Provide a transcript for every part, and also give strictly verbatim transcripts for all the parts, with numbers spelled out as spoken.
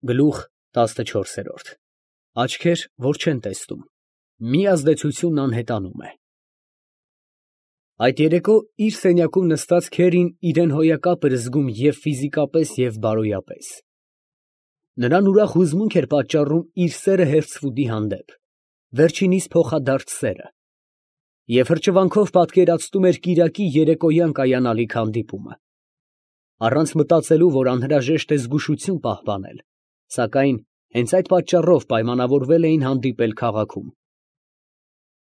Գլուխ տասնչորս։ Աչքեր, որ չեն տեսնում, մի ազդեցությունն անհետանում է։ Այդ երեկո իր սենյակում նստած Քերին իրան հոյակապ էր զգում և ֆիզիկապես, և բարոյապես։ Նրան ուրախ հուզմունք էր պատճառում իր սերը Հերցֆուդի հանդեպ, վերջինիս փոխադարձ սերը, և հրճվանքով պատկերացնում էր կիրակի երեկոյան կայանալիք հանդիպումը, առանց մտածելու, որ անհրաժեշտ է զգուշություն պահպանել, սակայն հենց այդ պատճառով պայմանավորվել էին հանդիպել քաղաքում։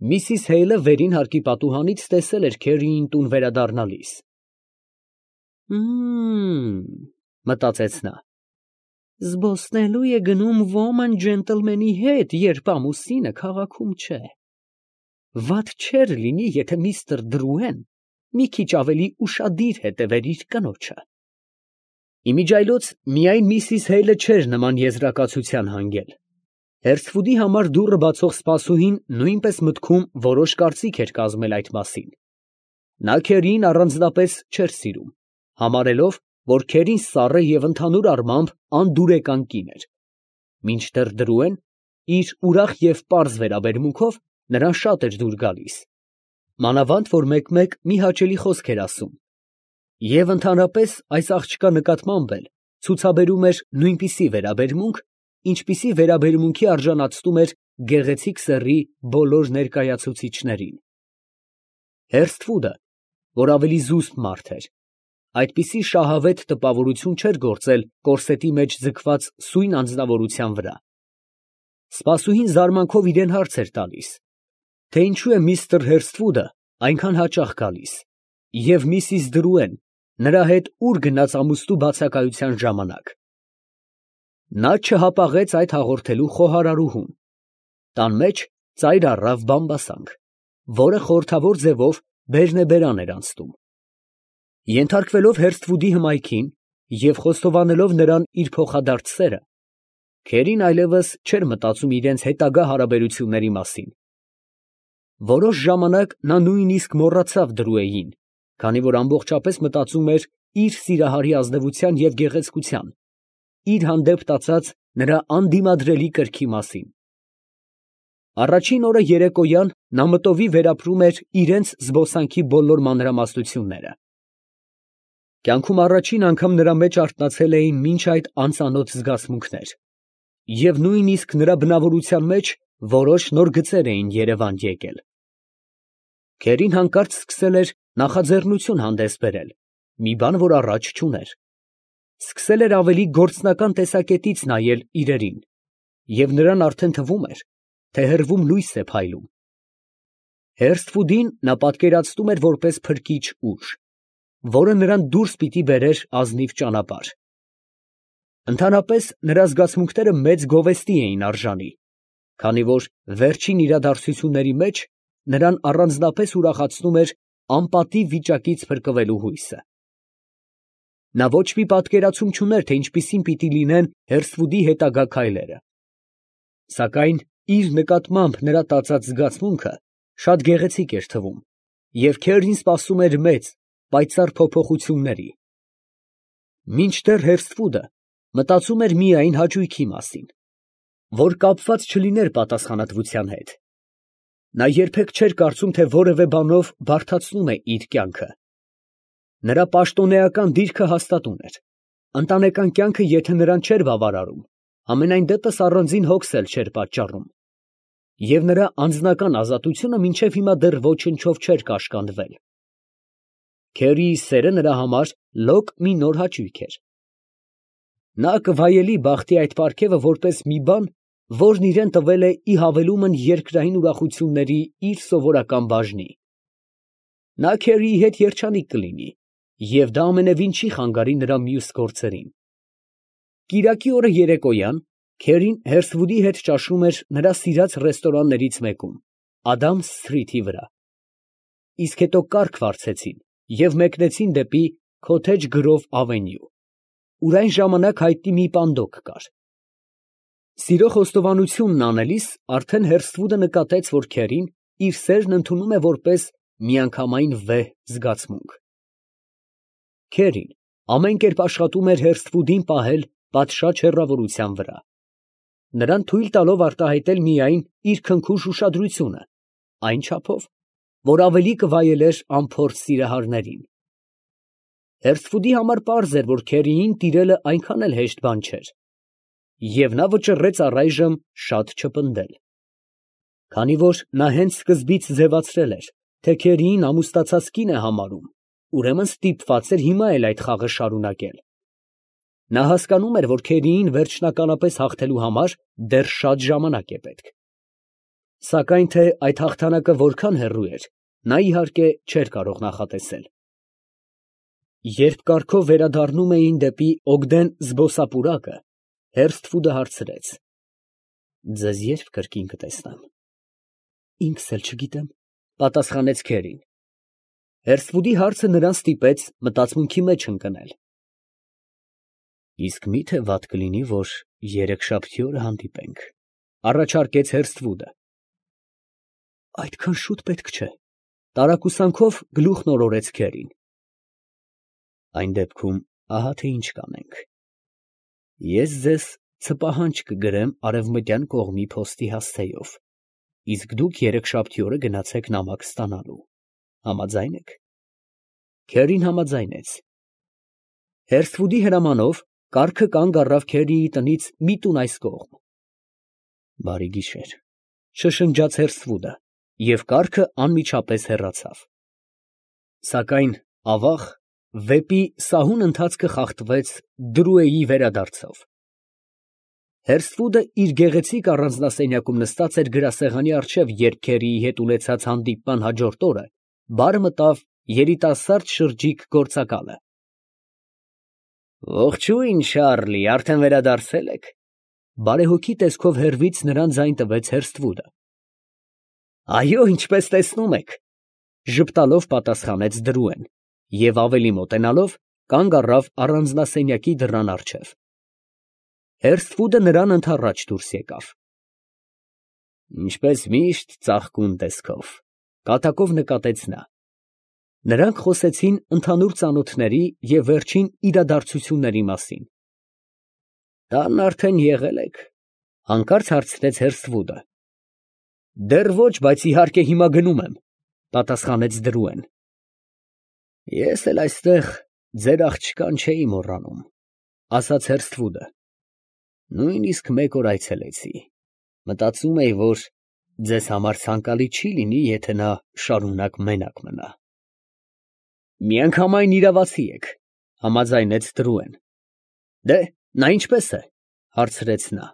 Միսիս Հեյլը վերին հարկի պատուհանից տեսել էր Քերիին տուն վերադառնալիս։ «Մմ, ֊ մտածեց նա, ֊ զբոսնելու է գնում ոման ջենտլմենի հետ, երբ ամուսինը քաղաքում չէ։ Վատ չէր լինի, եթե միստր Դրուեն մի քիչ ավելի ուշադիր հետևեր իր կնոջը»։ Իմիջիայլոց միայն միսիս Հեյլը չէր նման եզրակացության հանգել։ Հերցֆուդի համար դուռը բացող սպասուհին նույնպես մտքում որոշ կարծիք էր կազմել այդ մասին։ Նա Քերիին առանձնապես չէր սիրում, համարելով, որ Քերին սառը և ընդհանուր առմամբ անդուրեկան կին էր, մինչդեռ Դրուեն իր ուրախ և պարզ վերաբերմունքով նրան շատ էր դուր գալիս, մանավանդ որ մեկ֊մեկ մի հաճելի խոսք էր ասում, և ընդհանրապես այս աղջկա նկատմամբ էլ ցուցաբերում էր նույնպիսի վերաբերմունք, ինչպիսի վերաբերմունքի արժանացնում էր գեղեցիկ սեռի բոլոր ներկայացուցիչներին։ Հերցֆուդը, որ ավելի զուսպ մարդ էր, այդպիսի շահավետ տպավորություն չէր գործել կորսետի մեջ ձգված սույն անձնավորության վրա։ Սպասուհին զարմանքով իրան հարց էր տալիս, թե ինչու է միստր Հերցֆուդը այնքան հաճախ գալիս, և միսիս Դրուեն նրա հետ ուր գնաց ամուսնու բացակայության ժամանակ։ Նա չհապաղեց այդ հաղորդելու խոհարարուհուն։ Տան մեջ ծայր առավ բամբասանք, որը խորհրդավոր ձևով բերնեբերան էր անցնում։ Ենթարկվելով Հերցֆուդի հմայքին և խոստովանելով նրան իր փոխադարձ սերը, Քերին այլևս չէր մտածում իրենց հետագա հարաբերությունների մասին։ Որոշ ժամանակ նա նույնիսկ մոռացավ Դրուեին, քանի որ ամբողջապես մտածում էր իր սիրահարի ազնվության և գեղեցկության, իր հանդեպ տածած նրա անդիմադրելի կրքի մասին։ Առաջին օրը երեկոյան նա մտովի վերապրում էր իրենց զբոսանքի բոլոր մանրամասնությունները։ Կյանքում առաջին անգամ նրա մեջ արթնացել էին մինչ այդ անծանոթ զգացմունքներ, և նույնիսկ նրա բնավորության մեջ որոշ նոր գծեր էին երևան եկել։ Քերին հանկարծ սկսել էր նախաձեռնություն հանդես բերել, մի բան, որ առաջ չուներ։ Սկսել էր ավելի գործնական տեսակետից նայել իրերին, և նրան արդեն թվում էր, թե հեռվում լույս է փայլում։ Հերցֆուդին նա պատկերացնում էր որպես փրկիչ ուժ, որը նրան դուրս պիտի բերեր ազնիվ ճանապարհ։ Ընդհանրապես նրա զգացմունքները մեծ գովեստի էին արժանի, քանի որ վերջին իրադարձությունների մեջ նրան առանձնապես ուրախացնում էր անպատիվ վիճակից փրկվելու հույսը։ Նա ոչ մի պատկերացում չուներ, թե ինչպիսին պիտի լինեն Հերցֆուդի հետագա քայլերը, սակայն իր նկատմամբ նրա տածած զգացմունքը շատ գեղեցիկ էր թվում, և Քերին սպասում էր մեծ, պայծառ փոփոխությունների։ Մինչդեռ Հերցֆուդը մտածում էր միայն հաճույքի մասին, որ կապված չլիներ պատասխանատվության հետ։ Նա երբեք չէր կարծում, թե որևէ բանով բարդացնում է իր կյանքը։ Նրա պաշտոնեական դիրքը հաստատուն էր, ընտանեկան կյանքը եթե նրան չէր բավարարում, համենայն դեպս առանձին հոգս էլ չէր պատճառում, և նրա անձնական ազատությունը մինչև հիմա դեռ ոչնչով չէր կաշկանդվել։ Քերիի սերը նրա համար լոկ մի նոր հաճույք էր։ Նա կվայելի բախտի այդ պարգևը որպես մի բան, որն իրան տվել է ի հավելումն երկրային ուրախությունների իր սովորական բաժնի։ Նա Քերիի հետ երջանիկ կլինի, և դա ամենևին չի խանգարի նրա մյուս գործերին։ Կիրակի օրը երեկոյան Քերին Հերցֆուդի հետ ճաշում էր նրա սիրած ռեստորաններից մեկում, Ադամս սթրիթի վրա, իսկ հետո կառք վարձեցին և մեկնեցին դեպի Քոթեջ Գրով ավենյու, ուր այն ժամանակ հայտնի մի պանդոկ կար։ Սիրո խոստովանությունն անելիս արդեն Հերցֆուդը նկատեց, որ Քերին իր սերն ընդունում է որպես միանգամայն վեհ զգացմունք։ Քերին ամեն կերպ աշխատում էր Հերցֆուդին պահել պատշաճ հեռավորության վրա, նրան թույլ տալով արտահայտել միայն իր քնքուշ ուշադրությունը, այն չափով, որ ավելի կվայելեր անփորձ սիրահարներին։ Հերսֆուդի համար պարզ էր, որ Քերիին տիրելը այնքան էլ հեշտ բան չէր, և նա վճռեց առայժմ շատ չպնդել։ Քանի որ նա հենց սկզբից ձևացրել էր, թե Քերիին ամուսնացած կին է համարում, ուրեմն ստիպված էր հիմա էլ այդ խաղը շարունակել։ Նա հասկանում էր, որ Քերիին վերջնականապես հաղթելու համար դեռ շատ ժամանակ է պետք։ Սակայն թե այդ հաղթանակը որքան հեռու էր, նա իհարկե չէր կարող նախատեսել։ Երբ կառքով վերադառնում էին դեպի Օգդեն զբոսապուրակը, Հերսթվուդը հարցրեց. «Ձեզ ե՞րբ կրկին կտեսնեմ»։ «Ինքս էլ չգիտեմ», պատասխանեց Քերին։ Հերսթվուդի հարցը նրան ստիպեց մտածմունքի մեջ ընկնել։ «Իսկ մի՞թե վատ կլինի, որ երեքշաբթի օրը հանդիպենք», առաջարկեց Հերսթվուդը։ «Այդքան շուտ պետք չէ», տարակուսանքով գլուխն օրորեց Քերին։ «Այն դեպքում ահա թե ինչ կանենք. ես ձեզ ցպահանջ կգրեմ արևմտյան կողմի փոստի հասցեով, իսկ դուք երեքշաբթի օրը գնացեք նամակ ստանալու, համաձա՞յն եք»։ Քերին համաձայնեց։ Հերսթվուդի հրամանով կառքը կանգ առավ Քերիի տնից մի տուն այս կողմ։ «Բարի գիշեր», շշնջաց Հերսթվուդը, և կառքը անմիջապես հեռացավ։ Սակայն ավաղ, վեպի սահուն ընթացքը խախտվեց Դրուեի վերադարձով։ Հերսթվուդը իր գեղեցիկ առանձնասենյակում նստած էր գրասեղանի առջև, երբ Քերիի հետ ունեցած հանդիպման հաջորդ օրը բար մտավ երիտասարդ շրջիկ գործակալը։ «Ողջույն, Շարլի, արդեն վերադարձել եք», բարեհոգի տեսքով հեռվից նրան ձայն տվեց Հերսթվուդը։ «Այո, ինչպես տեսնում եք», ժպտալով պատասխանեց Դրուեն և ավելի մոտենալով կանգ առավ առանձնասենյակի դռան առջև։ Հերսթվուդը նրան ընդառաջ դուրս եկավ։ «Ինչպես միշտ, ծաղկուն տեսքով», կատակով նկատեց նա։ Նրանք խոսեցին ընդհանուր ծանոթների և վերջին իրադարձությունների մասին։ «Տանն արդեն եղել եք», հանկարծ հարցրեց Հերսթվուդը։ «Դեռ ոչ, բայց իհարկե հիմա գնում եմ», պատասխանեց Դրուեն։ «Ես էլ այստեղ ձեր աղջկան չէի մոռանում», ասաց Հերսթվուդը։ «Նույնիսկ մեկ օր այցելեցի, մտածում էի, որ ձեզ համար ցանկալի չի լինի, եթե նա շարունակ մենակ մնա»։ «Միանգամայն իրավացի եք», համաձայնեց Դրուեն։ «Դե, նա ինչպե՞ս է», հարցրեց նա։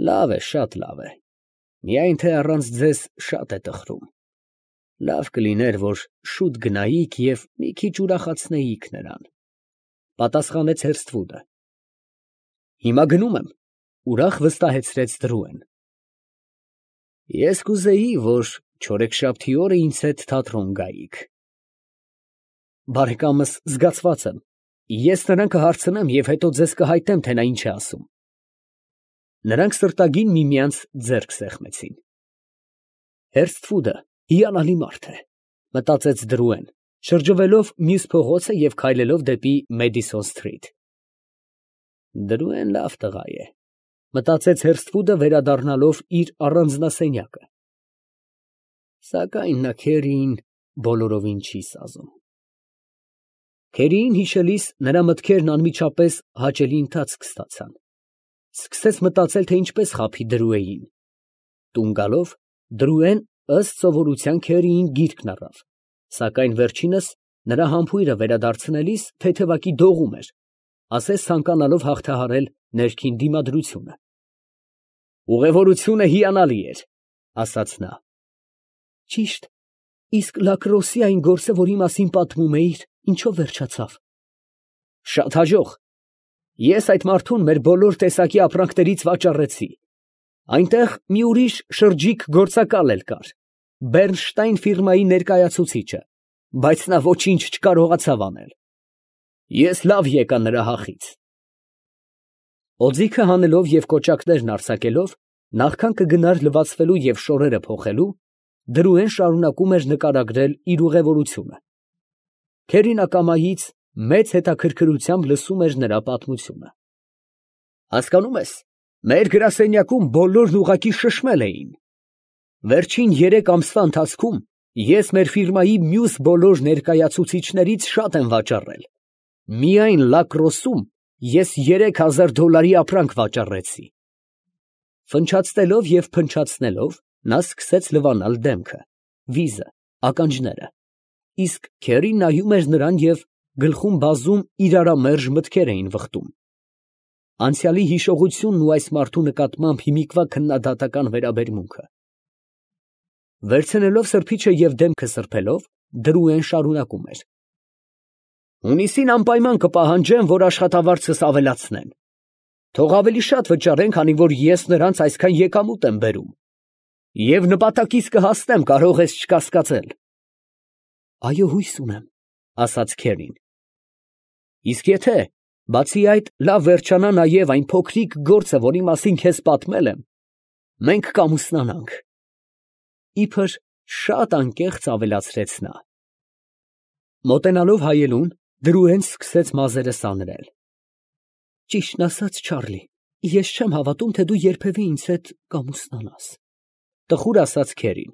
«Լավ է, շատ լավ է, միայն թե առանց ձեզ շատ է տխրում։ Լավ կլիներ, որ շուտ գնայիք և մի քիչ ուրախացնեիք նրան», պատասխանեց Հերսթվուդը։ «Հիմա գնում եմ», ուրախ վստահեցրեց Դրուեն։ «Ես կուզեի, որ չորեքշաբթի օրը ինձ հետ թատրոն գայիք»։ «Բարեկամս զգացված եմ, ես նրան կհարցնեմ և հետո ձեզ կհայտնեմ, թե նա ինչ է ասում»։ Նրանք սրտագին միմյանց ձեռք սեղմեցին։ Հերսթվուդը հիանալի մարդ է, մտածեց Դրուեն, շրջվելով մյուս փողոցը և քայլելով դեպի Մեդիսոն սթրիթ։ «Դրուեն լավ տղա է», մտածեց Հերսթվուդը, վերադառնալով իր առանձնասենյակը։ Սակայն նա Քերիին բոլորովին չի սազում։ Քերիին հիշելիս նրա մտքերն անմիջապես հաճելի ընթացք ստացան։ Սկսեց մտածել, թե ինչպես խաբի Դրուեին։ Տուն գալով, Դրուեն ըստ սովորության Քերիին գիրկն առավ, սակայն վերջինս նրա համբույրը վերադարձնելիս թեթևակի դողում էր, ասես ցանկանալով հաղթահարել ներքին դիմադրությունը։ «Ուղևորությունը հիանալի էր», ասաց նա։ «Ճիշտ, իսկ Լակրոսի այն գործը, որի մասին պատմում էիր, ինչո՞վ վերջացավ»։ «Շատ հաջող։ Ես այդ մարդուն մեր բոլոր տեսակի ապրանքներից վաճառեցի։ Այնտեղ մի ուրիշ շրջիկ գործակալ էլ կար, Բեռնշտայն ֆիրմայի ներկայացուցիչը, բայց նա ոչինչ չկարողացավ անել։ Ես լավ եկա նրա հախից»։ Օձիքը հանելով և կոճակներն արձակելով, նախքան կգնար լվացվելու և շորերը փոխելու, Դրուեն շարունակում էր նկարագրել իր ուղևորությունը։ Քերին ակամայից մեծ հետաքրքրությամբ լսում էր նրա պատմությունը։ Հասկանում ես, մեր գրասենյակում բոլորն ուղղակի շշմել էին։ Վերջին երեք ամսվա ընթացքում ես մեր ֆիրմայի մյուս բոլոր ներկայացուցիչներից շատ եմ վաճառել։ Միայն Լակրոսում ես երեք հազար դոլարի ապրանք վաճառեցի։ Ֆնչացնելով և փնչացնելով, նա սկսեց լվանալ դեմքը, վիզը, ականջները, իսկ քերին նայում էր նրան և գլխում բազում իրարամերժ մտքեր էին վխտում։ Անցյալի հիշողությունն ու այս մարդու նկատմամբ հիմիկվա քննադատական վերաբերմունքը։ Վերցնելով սրբիչը և դեմքը սրբելով, Դրուեն շարունակում էր. Հունիսին անպայման կպահանջեմ, որ աշխատավարձս ավելացնեն։ Թող ավելի շատ վճարեն, քանի որ ես նրանց այսքան եկամուտ եմ բերում։ Եվ նպատակիս կհասնեմ, կարող ես չկասկածել։ Այո, հույս ունեմ, ասաց քերին։ Իսկ եթե, բացի այդ, լավ վերջանա նաև այն փոքրիկ գործը, որի մասին քեզ պատմել եմ, մենք կամուսնանանք։ Իբր շատ անկեղծ ավելացրեց նա։ Մոտենալով հայելուն, Դրուեն սկսեց մազերը սանրել։ Ճիշտն ասած, Չարլի, ես չեմ հավատում, թե դու երբևէ ինձ հետ կամուսնանաս, տխուր ասաց քերին։